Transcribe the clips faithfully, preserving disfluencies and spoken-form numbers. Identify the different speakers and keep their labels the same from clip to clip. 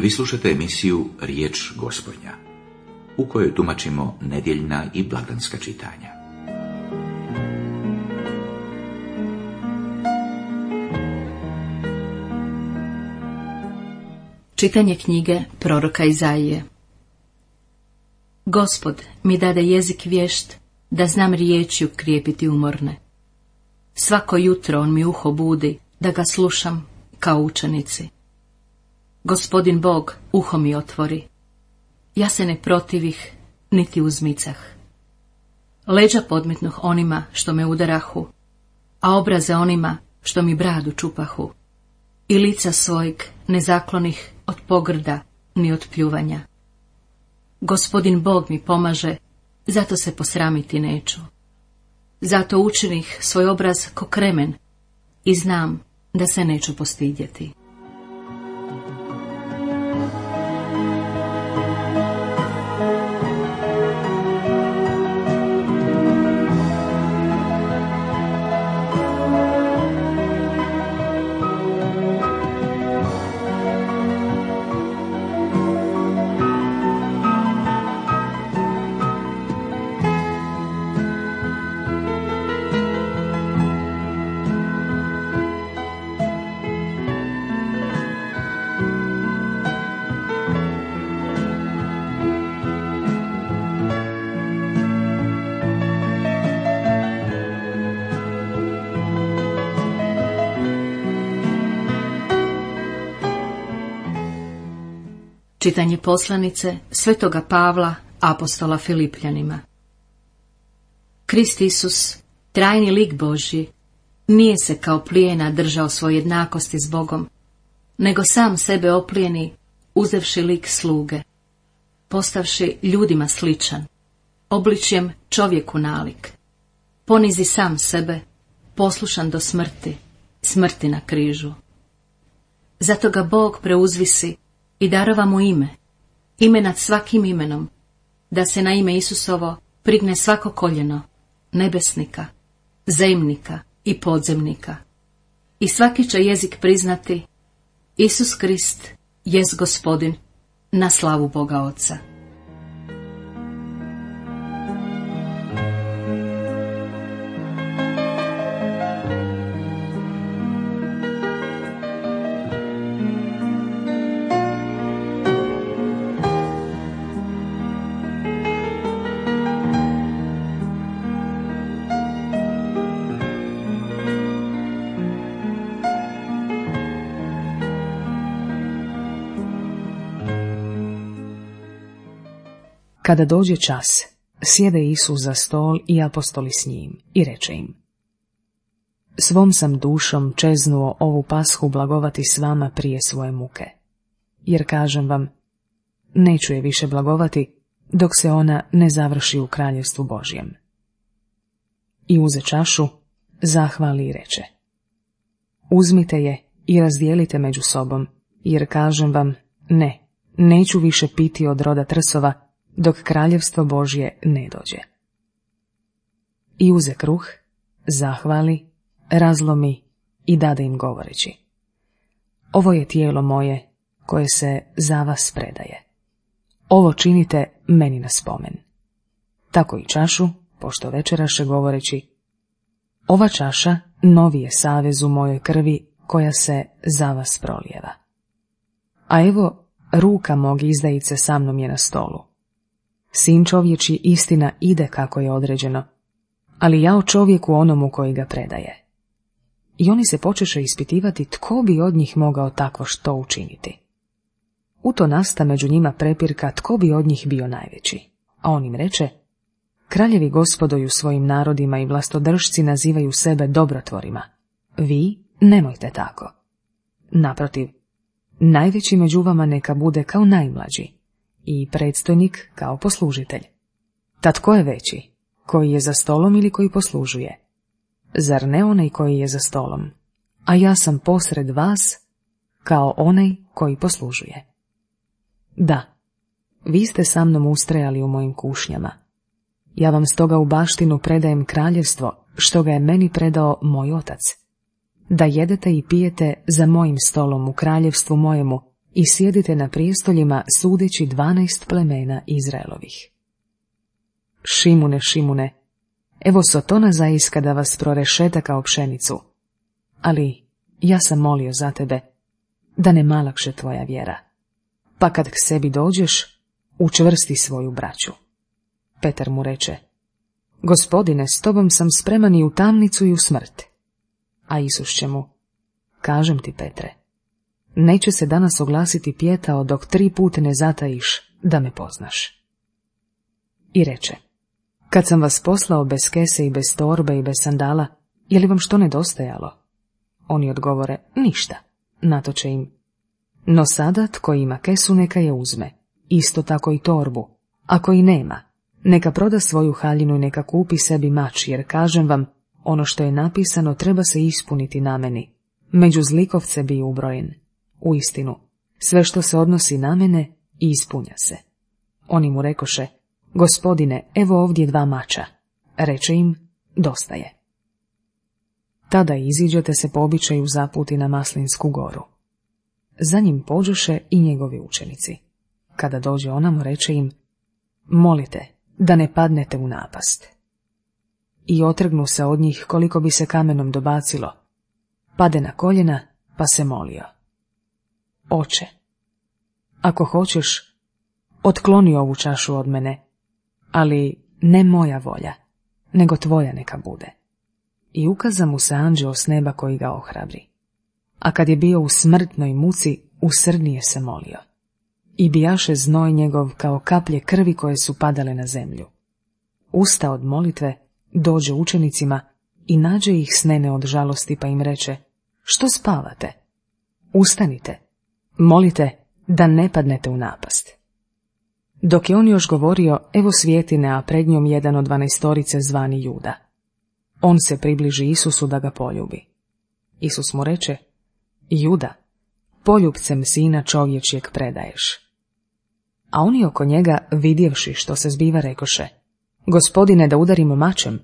Speaker 1: Vi slušate emisiju Riječ Gospodnja, u kojoj tumačimo nedjeljna i blagdanska čitanja.
Speaker 2: Čitanje knjige proroka Izaije. Gospod mi dade jezik vješt, da znam riječju krijepiti umorne. Svako jutro on mi uho budi, da ga slušam kao učenici. Gospodin Bog uho mi otvori. Ja se ne protivih, niti uzmicah. Leđa podmetnuh onima što me udarahu, a obraze onima što mi bradu čupahu. I lica svojeg ne zaklonih od pogrda ni od pljuvanja. Gospodin Bog mi pomaže, zato se posramiti neću. Zato učinih svoj obraz ko kremen i znam da se neću postidjeti. Čitanje poslanice Svetoga Pavla, apostola Filipljanima. Krist Isus, trajni lik Božji, nije se kao plijena držao svoje jednakosti s Bogom, nego sam sebe oplijeni, uzevši lik sluge, postavši ljudima sličan, obličjem čovjeku nalik, ponizi sam sebe, poslušan do smrti, smrti na križu. Zato ga Bog preuzvisi i darova mu ime, ime nad svakim imenom, da se na ime Isusovo prigne svako koljeno, nebesnika, zemnika i podzemnika. I svaki će jezik priznati, Isus Krist jest Gospodin, na slavu Boga Oca.
Speaker 3: Kada dođe čas, sjede Isus za stol i apostoli s njim i reče im: Svom sam dušom čeznuo ovu pashu blagovati s vama prije svoje muke. Jer kažem vam, neću je više blagovati, dok se ona ne završi u kraljevstvu Božjem. I uze čašu, zahvali i reče: Uzmite je i razdijelite među sobom, jer kažem vam, ne, neću više piti od roda trsova, dok kraljevstvo Božje ne dođe. I uze kruh, zahvali, razlomi i dade im govoreći: Ovo je tijelo moje, koje se za vas predaje. Ovo činite meni na spomen. Tako i čašu, pošto večeraše govoreći: Ova čaša novi je savez u mojoj krvi, koja se za vas prolijeva. A evo, ruka mog izdajice sa mnom je na stolu. Sin čovječi istina ide kako je određeno, ali ja o čovjeku onomu koji ga predaje. I oni se počeše ispitivati tko bi od njih mogao takvo što učiniti. U to nasta među njima prepirka tko bi od njih bio najveći, a on im reče: Kraljevi gospodoju svojim narodima i vlastodržci nazivaju sebe dobrotvorima. Vi nemojte tako. Naprotiv, najveći među vama neka bude kao najmlađi, i predstojnik kao poslužitelj. Tad ko je veći, koji je za stolom ili koji poslužuje? Zar ne onaj koji je za stolom? A ja sam posred vas kao onaj koji poslužuje. Da, vi ste sa mnom ustrajali u mojim kušnjama. Ja vam stoga u baštinu predajem kraljevstvo, što ga je meni predao moj otac, da jedete i pijete za mojim stolom u kraljevstvu mojemu i sjedite na prijestoljima sudeći dvanaest plemena Izraelovih. Šimune, Šimune, evo Sotona zaiska da vas prorešeta kao pšenicu, ali ja sam molio za tebe, da ne malakše tvoja vjera, pa kad k sebi dođeš, učvrsti svoju braću. Petar mu reče, Gospodine, s tobom sam spreman i u tamnicu i u smrt. A Isus će mu, kažem ti, Petre, neće se danas oglasiti pjetao dok tri put ne zatajiš da me poznaš. I reče, kad sam vas poslao bez kese i bez torbe i bez sandala, je li vam što nedostajalo? Oni odgovore, ništa. Natoče im, no sada tko ima kesu neka je uzme, isto tako i torbu, ako i nema, neka proda svoju haljinu i neka kupi sebi mač, jer kažem vam, ono što je napisano treba se ispuniti na meni, među zlikovce bi ubrojen. Uistinu, sve što se odnosi na mene ispunja se. Oni mu rekoše, Gospodine, evo ovdje dva mača. Reče im, dosta je. Tada iziđete se po običaju zaputi na Maslinsku goru. Za njim pođoše i njegovi učenici. Kada dođe ona mu reče im, molite da ne padnete u napast. I otrgnu se od njih koliko bi se kamenom dobacilo. Pade na koljena pa se molio. Oče, ako hoćeš, otkloni ovu čašu od mene, ali ne moja volja, nego tvoja neka bude. I ukaza mu se anđeo s neba koji ga ohrabri. A kad je bio u smrtnoj muci, usrdnije se molio. I bijaše znoj njegov kao kaplje krvi koje su padale na zemlju. Usta od molitve, dođe učenicima i nađe ih snene od žalosti pa im reče, što spavate? Ustanite, molite da ne padnete u napast. Dok je on još govorio, evo svjetine, a pred njom jedan od dvanaestorice zvani Juda. On se približi Isusu da ga poljubi. Isus mu reče, Juda, poljubcem sina čovječjeg predaješ. A oni oko njega, vidjevši što se zbiva, rekoše, Gospodine, da udarimo mačem.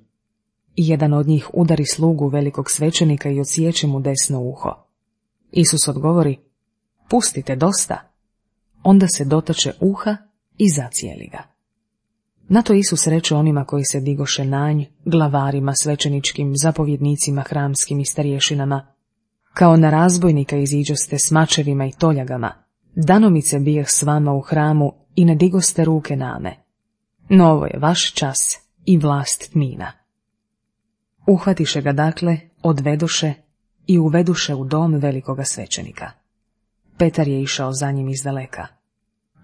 Speaker 3: I jedan od njih udari slugu velikog svećenika i odsječe mu desno uho. Isus odgovori, pustite, dosta. Onda se dotače uha i zacijeli ga. Na to Isus reče onima koji se digoše na nj, glavarima, svećeničkim, zapovjednicima, hramskim i starješinama, kao na razbojnika iziđoste s mačevima i toljagama, danomice bijeh s vama u hramu i ne digoste ruke name. No ovo je vaš čas i vlast tmina. Uhvatiše ga dakle, odvedoše i uveduše u dom velikoga svećenika. Petar je išao za njim izdaleka,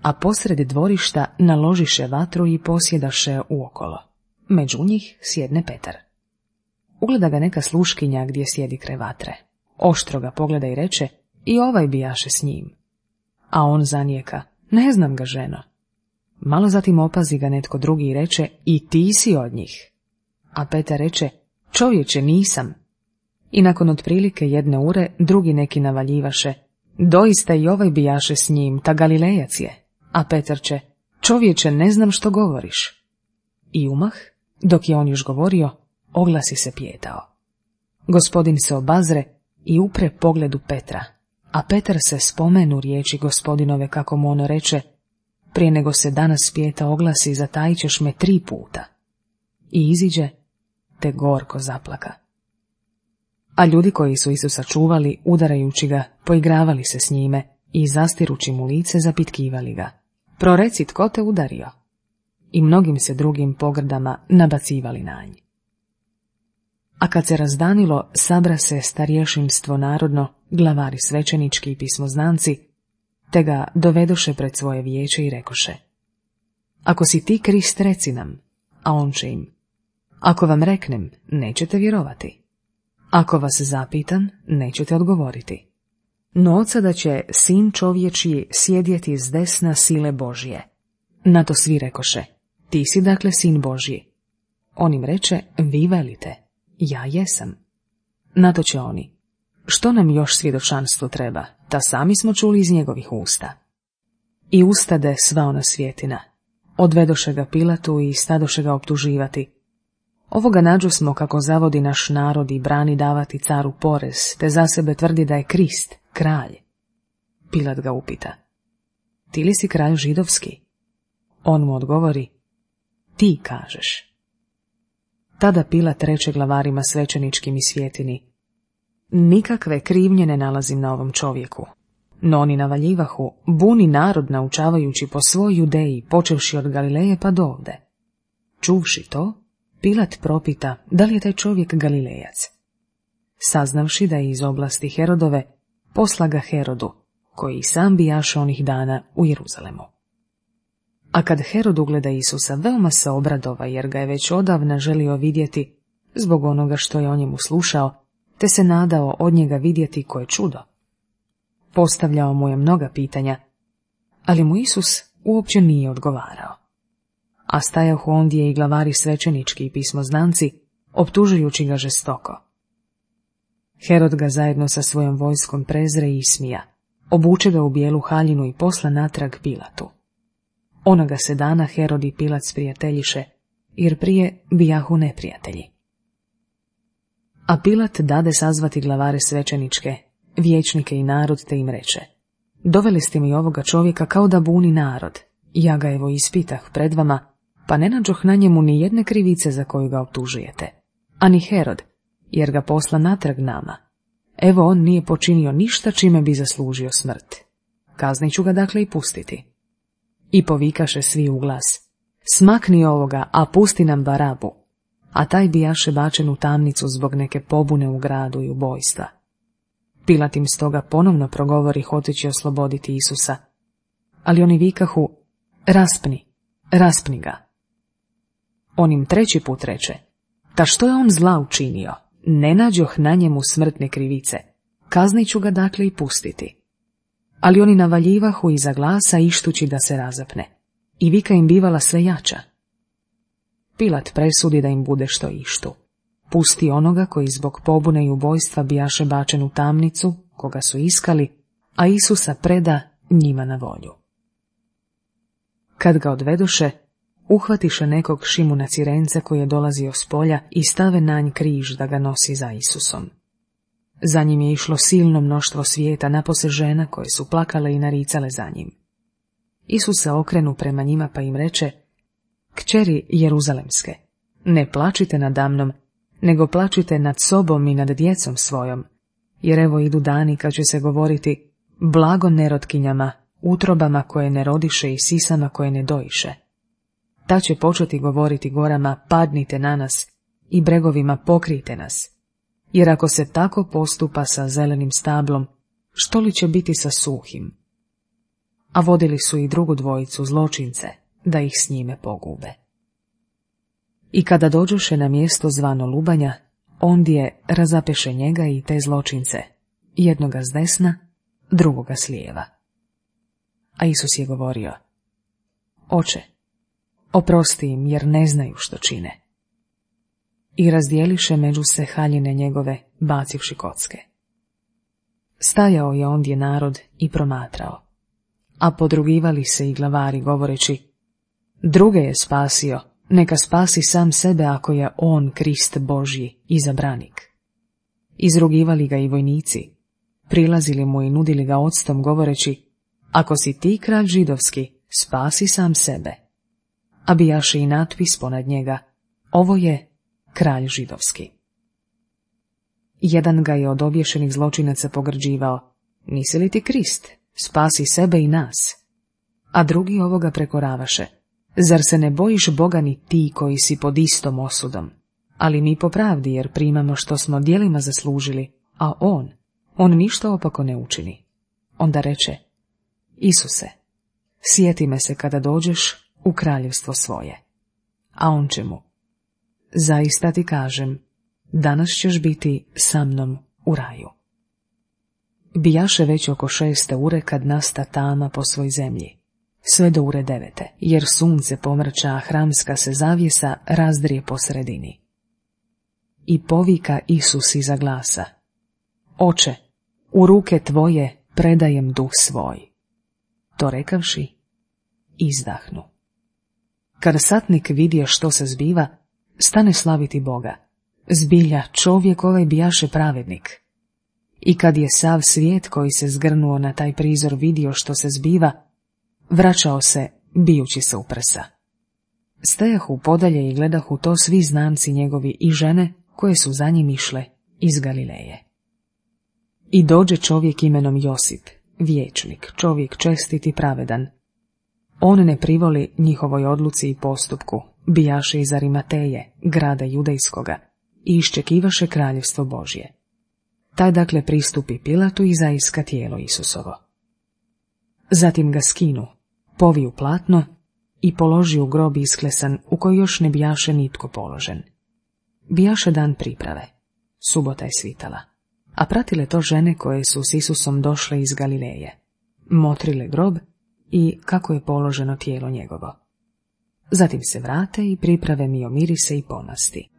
Speaker 3: a posred dvorišta naložiše vatru i posjedaše uokolo. Među njih sjedne Petar. Ugleda ga neka sluškinja gdje sjedi kraj vatre. Oštro ga pogleda i reče, i ovaj bijaše s njim. A on zanijeka, ne znam ga, ženo. Malo zatim opazi ga netko drugi i reče, i ti si od njih. A Petar reče, čovječe, nisam. I nakon otprilike jedne ure, drugi neki navaljivaše, doista i ovaj bijaše s njim, ta Galilejac je. A Petar će, čovječe, ne znam što govoriš. I umah, dok je on još govorio, oglasi se pijetao. Gospodin se obazre i upre pogledu Petra, a Petar se spomenu riječi Gospodinove kako mu ono reče, prije nego se danas pijeta oglasi, zatajit ćeš me tri puta. I iziđe, te gorko zaplaka. A ljudi koji su Isusa čuvali, udarajući ga, poigravali se s njime i zastirući mu lice zapitkivali ga. Proreci, tko te udario? I mnogim se drugim pogrdama nabacivali na nj. A kad se razdanilo, sabra se starješinstvo narodno, glavari svećenički i pismoznanci, te ga dovedoše pred svoje vijeće i rekoše, ako si ti Krist, reci nam, a on će im, ako vam reknem, nećete vjerovati. Ako vas zapitam, nećete odgovoriti. No od sada će sin čovječji sjedjeti s desna sile Božje. Na to svi rekoše, ti si dakle sin Božji. On im reče, vi velite, ja jesam. Na to će oni, što nam još svjedočanstvo treba, ta sami smo čuli iz njegovih usta. I ustade sva ona svjetina, odvedoše ga Pilatu i stadoše ga optuživati. Ovoga nađu smo kako zavodi naš narod i brani davati caru porez, te za sebe tvrdi da je Krist, kralj. Pilat ga upita: ti li si kralj židovski? On mu odgovori: ti kažeš. Tada Pilat reče glavarima svećeničkim i svjetini: nikakve krivnje ne nalazim na ovom čovjeku. No oni navaljivahu, buni narod naučavajući po svoj Judeji, počevši od Galileje pa dovde. Čuvši to, Pilat propita da li je taj čovjek Galilejac. Saznavši da je iz oblasti Herodove, posla ga Herodu, koji sam bijaše onih dana u Jeruzalemu. A kad Herod ugleda Isusa, veoma se obradova, jer ga je već odavna želio vidjeti zbog onoga što je o njemu slušao, te se nadao od njega vidjeti koje čudo. Postavljao mu je mnoga pitanja, ali mu Isus uopće nije odgovarao. A stajahu ondje i glavari svećenički i pismoznanci, optužujući ga žestoko. Herod ga zajedno sa svojom vojskom prezre i ismija, obuče ga u bijelu haljinu i posla natrag Pilatu. Onoga se dana Herod i Pilat sprijateljiše, jer prije bijahu neprijatelji. A Pilat dade sazvati glavare svećeničke, vijećnike i narod, te im reče: doveli ste mi ovoga čovjeka kao da buni narod, ja ga evo ispitah pred vama, pa ne nađoh na njemu ni jedne krivice za koju ga optužujete, ani Herod, jer ga posla natrag nama. Evo on nije počinio ništa čime bi zaslužio smrt. Kaznit ću ga dakle i pustiti. I povikaše svi u glas: smakni ovoga, a pusti nam Barabu. A taj bijaše bačen u tamnicu zbog neke pobune u gradu i ubojstva. Pilat im stoga ponovno progovori hoteći osloboditi Isusa, ali oni vikahu: raspni, raspni ga. On im treći put reče: ta što je on zla učinio, ne nađoh na njemu smrtne krivice, kaznit ću ga dakle i pustiti. Ali oni navaljivahu iza glasa ištući da se razapne, i vika im bivala sve jača. Pilat presudi da im bude što ištu. Pusti onoga koji zbog pobune i ubojstva bijaše bačen u tamnicu, koga su iskali, a Isusa preda njima na volju. Kad ga odvedoše, uhvatiše nekog Šimuna Cirence koji je dolazio s polja i stave na nj križ da ga nosi za Isusom. Za njim je išlo silno mnoštvo svijeta, napose žena koje su plakale i naricale za njim. Isus se okrenu prema njima pa im reče: kćeri Jeruzalemske, ne plačite nadamnom, nego plačite nad sobom i nad djecom svojom, jer evo idu dani kad će se govoriti: blago nerotkinjama, utrobama koje ne rodiše i sisama koje ne doiše. Ta će početi govoriti gorama: padnite na nas, i bregovima: pokrijte nas. Jer ako se tako postupa sa zelenim stablom, što li će biti sa suhim? A vodili su i drugu dvojicu, zločince, da ih s njime pogube. I kada dođoše na mjesto zvano Lubanja, ondje razapeše njega i te zločince, jednoga s desna, drugoga s lijeva. A Isus je govorio: oče, oprosti im, jer ne znaju što čine. I razdijeliše među se haljine njegove, bacivši kocke. Stajao je ondje narod i promatrao, a podrugivali se i glavari govoreći: druge je spasio, neka spasi sam sebe ako je on Krist Božji, izabranik. Izrugivali ga i vojnici, prilazili mu i nudili ga octom govoreći: ako si ti kralj židovski, spasi sam sebe. A bijaše i natpis ponad njega: ovo je kralj židovski. Jedan ga je od obješenih zločinaca pogrđivao: nisi li ti Krist, spasi sebe i nas. A drugi ovoga prekoravaše: zar se ne bojiš Boga ni ti koji si pod istom osudom? Ali mi po pravdi, jer primamo što smo djelima zaslužili, a on, on ništa opako ne učini. Onda reče: Isuse, sjeti me se kada dođeš u kraljevstvo svoje. A on će mu: zaista ti kažem, danas ćeš biti sa mnom u raju. Bijaše već oko šeste ure kad nasta tama po svoj zemlji, sve do ure devete, jer sunce pomrča, a hramska se zavjesa razdrije po sredini. I povika Isus iza glasa: Oče, u ruke tvoje predajem duh svoj. To rekavši, izdahnu. Kad satnik vidje što se zbiva, stane slaviti Boga. Zbilja, čovjek ovaj bijaše pravednik. I kad je sav svijet koji se zgrnuo na taj prizor vidio što se zbiva, vraćao se bijući se u prsa. Stajahu podalje i gledahu to svi znanci njegovi i žene koje su za njim išle iz Galileje. I dođe čovjek imenom Josip, vijećnik, čovjek čestit i pravedan. On ne privoli njihovoj odluci i postupku, bijaše iz Arimateje, grada judejskoga, i iščekivaše kraljevstvo Božje. Taj dakle pristupi Pilatu i zaiska tijelo Isusovo. Zatim ga skinu, poviju platno i položi u grob isklesan u koji još ne bijaše nitko položen. Bijaše dan priprave, subota je svitala, a pratile to žene koje su s Isusom došle iz Galileje, motrile grob i kako je položeno tijelo njegovo. Zatim se vrate i priprave miomirise i pomasti.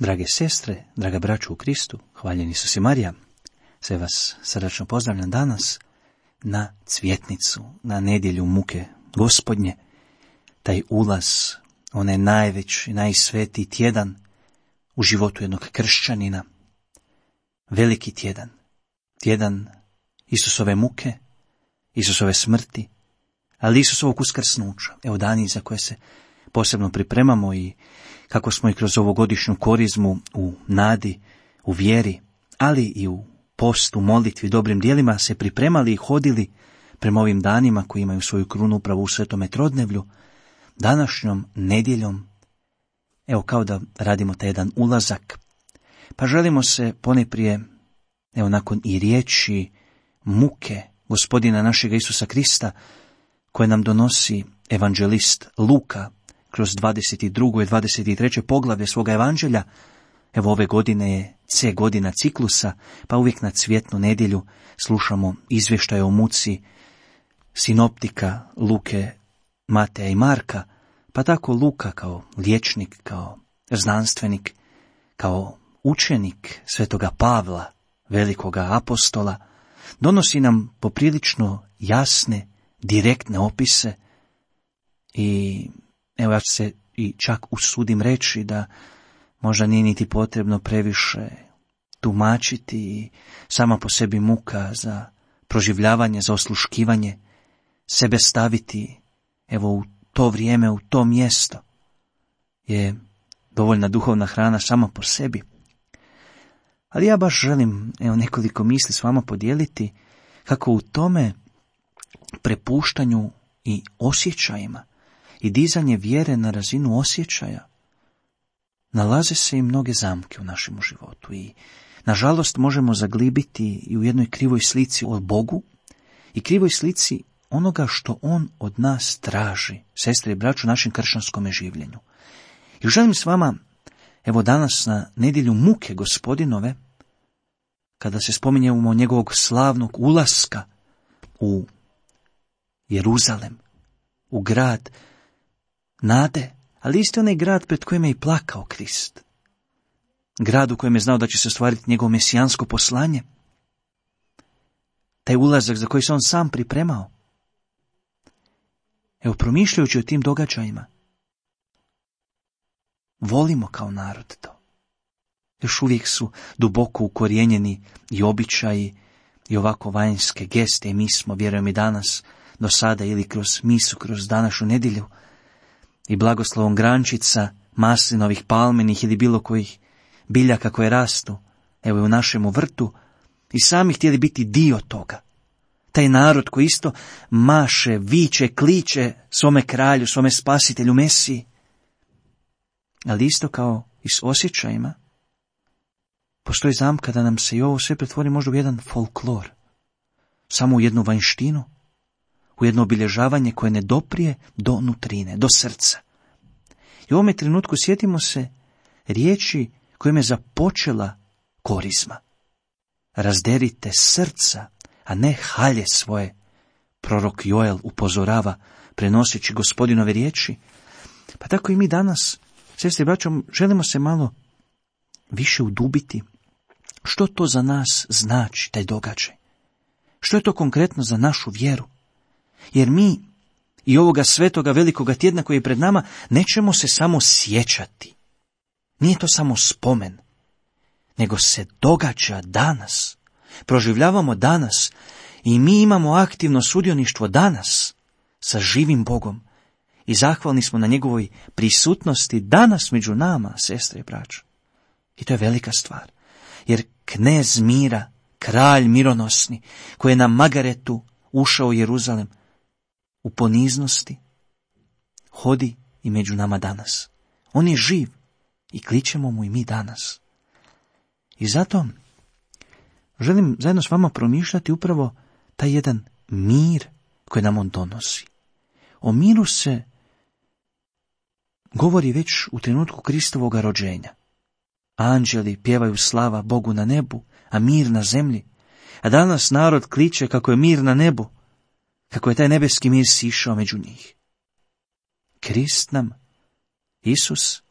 Speaker 4: Drage sestre, draga braću u Kristu, hvaljeni Isus i Marija, sve vas srdačno pozdravljam danas na cvjetnicu, na nedjelju muke Gospodnje, taj ulaz, onaj najveći, najsvetiji tjedan u životu jednog kršćanina, veliki tjedan, tjedan Isusove muke, Isusove smrti, ali Isusovog uskrsnuća, evo dani za koje se posebno pripremamo i kako smo i kroz ovogodišnju korizmu u nadi, u vjeri, ali i u postu, molitvi, dobrim dijelima se pripremali i hodili prema ovim danima koji imaju svoju krunu upravo u Svetome Trodnevlju, današnjom nedjeljom, evo kao da radimo taj jedan ulazak, pa želimo se ponajprije, evo nakon i riječi muke Gospodina našega Isusa Krista, koje nam donosi evanđelist Luka, kroz dvadeset drugo i dvadeset treće poglavlje svoga evanđelja, evo ove godine je C godina ciklusa, pa uvijek na cvjetnu nedjelju slušamo izvještaje o muci sinoptika Luke, Mateja i Marka, pa tako Luka kao liječnik, kao znanstvenik, kao učenik svetoga Pavla, velikoga apostola, donosi nam poprilično jasne, direktne opise i evo ja ću se i čak usudim reći da možda nije niti potrebno previše tumačiti i sama po sebi muka za proživljavanje, za osluškivanje, sebe staviti evo u to vrijeme, u to mjesto je dovoljna duhovna hrana sama po sebi. Ali ja baš želim evo nekoliko misli s vama podijeliti kako u tome prepuštanju i osjećajima i dizanje vjere na razinu osjećaja nalaze se i mnoge zamke u našem životu i nažalost možemo zaglibiti i u jednoj krivoj slici o Bogu i krivoj slici onoga što On od nas traži, sestre i braću, u našem kršćanskom življenju. I želim s vama, evo danas na nedjelju muke Gospodinove, kada se spominjemo njegovog slavnog ulaska u Jeruzalem, u grad nade, ali isto onaj grad pred kojim je i plakao Krist. Grad u kojem je znao da će se ostvariti njegovo mesijansko poslanje. Taj ulazak za koji se on sam pripremao. Evo, promišljajući o tim događajima, volimo kao narod to. Još uvijek su duboko ukorijenjeni i običaji i ovako vanjske geste i mi smo, vjerujem i danas, do sada ili kroz misu, kroz današnju nedjelju, i blagoslovom grančica, maslinovih, palmenih ili bilo kojih biljaka koje rastu, evo i u našemu vrtu, i sami htjeli biti dio toga. Taj narod koji isto maše, viče, kliče svome kralju, svome spasitelju, Mesiji. Ali isto kao i s osjećajima, postoji zamka da nam se i ovo sve pretvori možda u jedan folklor, samo u jednu vanjštinu, u jedno obilježavanje koje ne doprije do nutrine, do srca. I u ovome trenutku sjetimo se riječi kojim je započela korizma. Razderite srca, a ne halje svoje prorok Joel upozorava prenoseći Gospodinove riječi, pa tako i mi danas, sestre i braćo, želimo se malo više udubiti. Što to za nas znači taj događaj? Što je to konkretno za našu vjeru? Jer mi i ovoga svetoga velikoga tjedna koji je pred nama nećemo se samo sjećati. Nije to samo spomen, nego se događa danas. Proživljavamo danas i mi imamo aktivno sudioništvo danas sa živim Bogom i zahvalni smo na njegovoj prisutnosti danas među nama, sestre i braćo. I to je velika stvar, jer knez mira, kralj mironosni, koji je na Magaretu ušao u Jeruzalem, u poniznosti, hodi i među nama danas. On je živ i kličemo mu i mi danas. I zato želim zajedno s vama promišljati upravo taj jedan mir koji nam on donosi. O miru se govori već u trenutku Kristovog rođenja. Anđeli pjevaju slava Bogu na nebu, a mir na zemlji. A danas narod kliče kako je mir na nebu, kako je taj nebeski mir sišao među njih. Krist nam, Isus,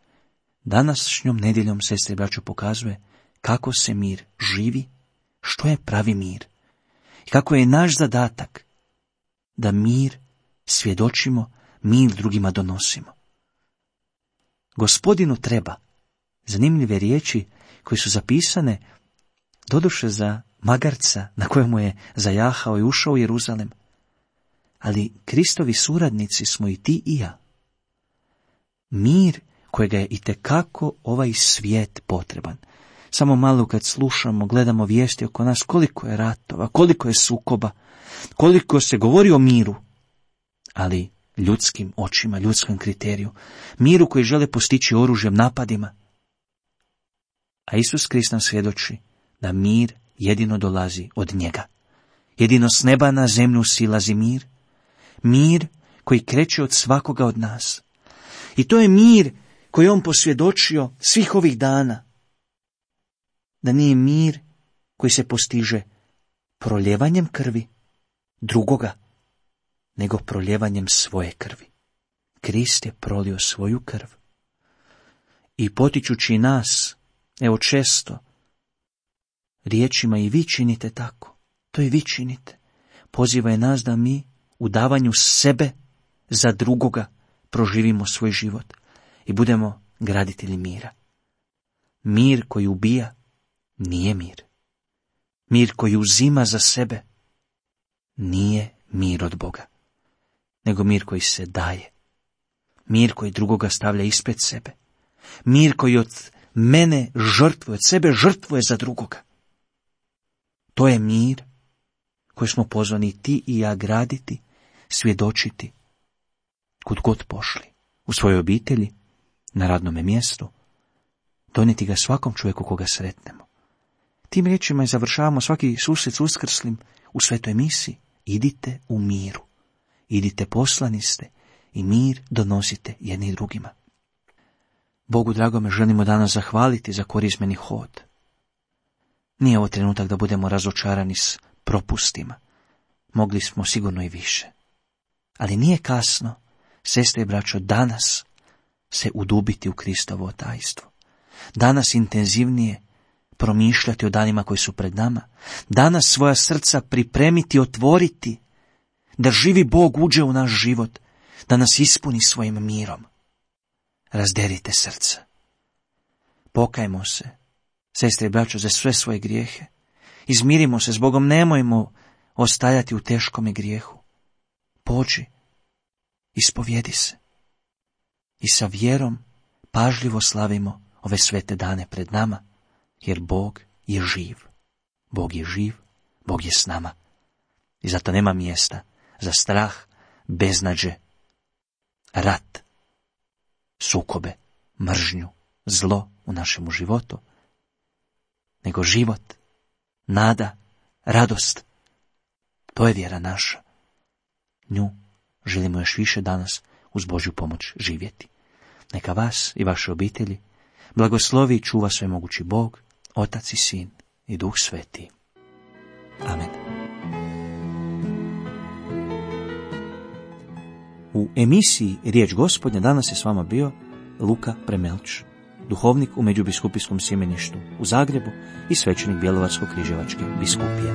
Speaker 4: današnjom nedjeljom, sestre i braćo, pokazuje kako se mir živi, što je pravi mir. I kako je naš zadatak da mir svjedočimo, mir drugima donosimo. Gospodinu treba zanimljive riječi koje su zapisane doduše za magarca na kojemu je zajahao i ušao u Jeruzalem. Ali Kristovi suradnici smo i ti i ja. Mir kojega je itekako ovaj svijet potreban. Samo malo kad slušamo, gledamo vijesti oko nas, koliko je ratova, koliko je sukoba, koliko se govori o miru, ali ljudskim očima, ljudskom kriteriju, miru koji žele postići oružjem, napadima. A Isus Krist nam svjedoči da mir jedino dolazi od njega. Jedino s neba na zemlju silazi mir, mir koji kreće od svakoga od nas. I to je mir koji on posvjedočio svih ovih dana. Da nije mir koji se postiže proljevanjem krvi drugoga, nego proljevanjem svoje krvi. Krist je prolio svoju krv. I potičući nas, evo često, riječima i vi činite tako, to i vi činite. Poziva je nas da mi u davanju sebe za drugoga proživimo svoj život i budemo graditelji mira. Mir koji ubija nije mir. Mir koji uzima za sebe nije mir od Boga, nego mir koji se daje. Mir koji drugoga stavlja ispred sebe. Mir koji od mene žrtvuje, od sebe žrtvuje za drugoga. To je mir koji smo pozvani ti i ja graditi, svjedočiti, kud god pošli, u svojoj obitelji, na radnome mjestu, donijeti ga svakom čovjeku koga sretnemo. Tim riječima i završavamo svaki susret s Uskrslim u svetoj misi. Idite u miru, idite poslani ste i mir donosite jedni drugima. Bogu dragome želimo danas zahvaliti za korizmeni hod. Nije ovo trenutak da budemo razočarani s propustima. Mogli smo sigurno i više. Ali nije kasno, sestre i braćo, danas se udubiti u Kristovo tajstvo. Danas intenzivnije promišljati o danima koji su pred nama. Danas svoja srca pripremiti, otvoriti, da živi Bog uđe u naš život, da nas ispuni svojim mirom. Razderite srca. Pokajmo se, sestre i braćo, za sve svoje grijehe. Izmirimo se s Bogom, nemojmo ostajati u teškome grijehu. Pođi, ispovjedi se. I sa vjerom pažljivo slavimo ove svete dane pred nama, jer Bog je živ. Bog je živ, Bog je s nama. I zato nema mjesta za strah, beznađe, rat, sukobe, mržnju, zlo u našemu životu, nego život, nada, radost. To je vjera naša. Nju želimo još više danas uz Božju pomoć živjeti. Neka vas i vaše obitelji blagoslovi i čuva svemogući Bog, Otac i Sin i Duh Sveti. Amen. U emisiji Riječ Gospodnja danas je s vama bio Luka Premelč, duhovnik u Međubiskupijskom sjemeništu u Zagrebu i svećenik Bjelovarsko-križevačke biskupije.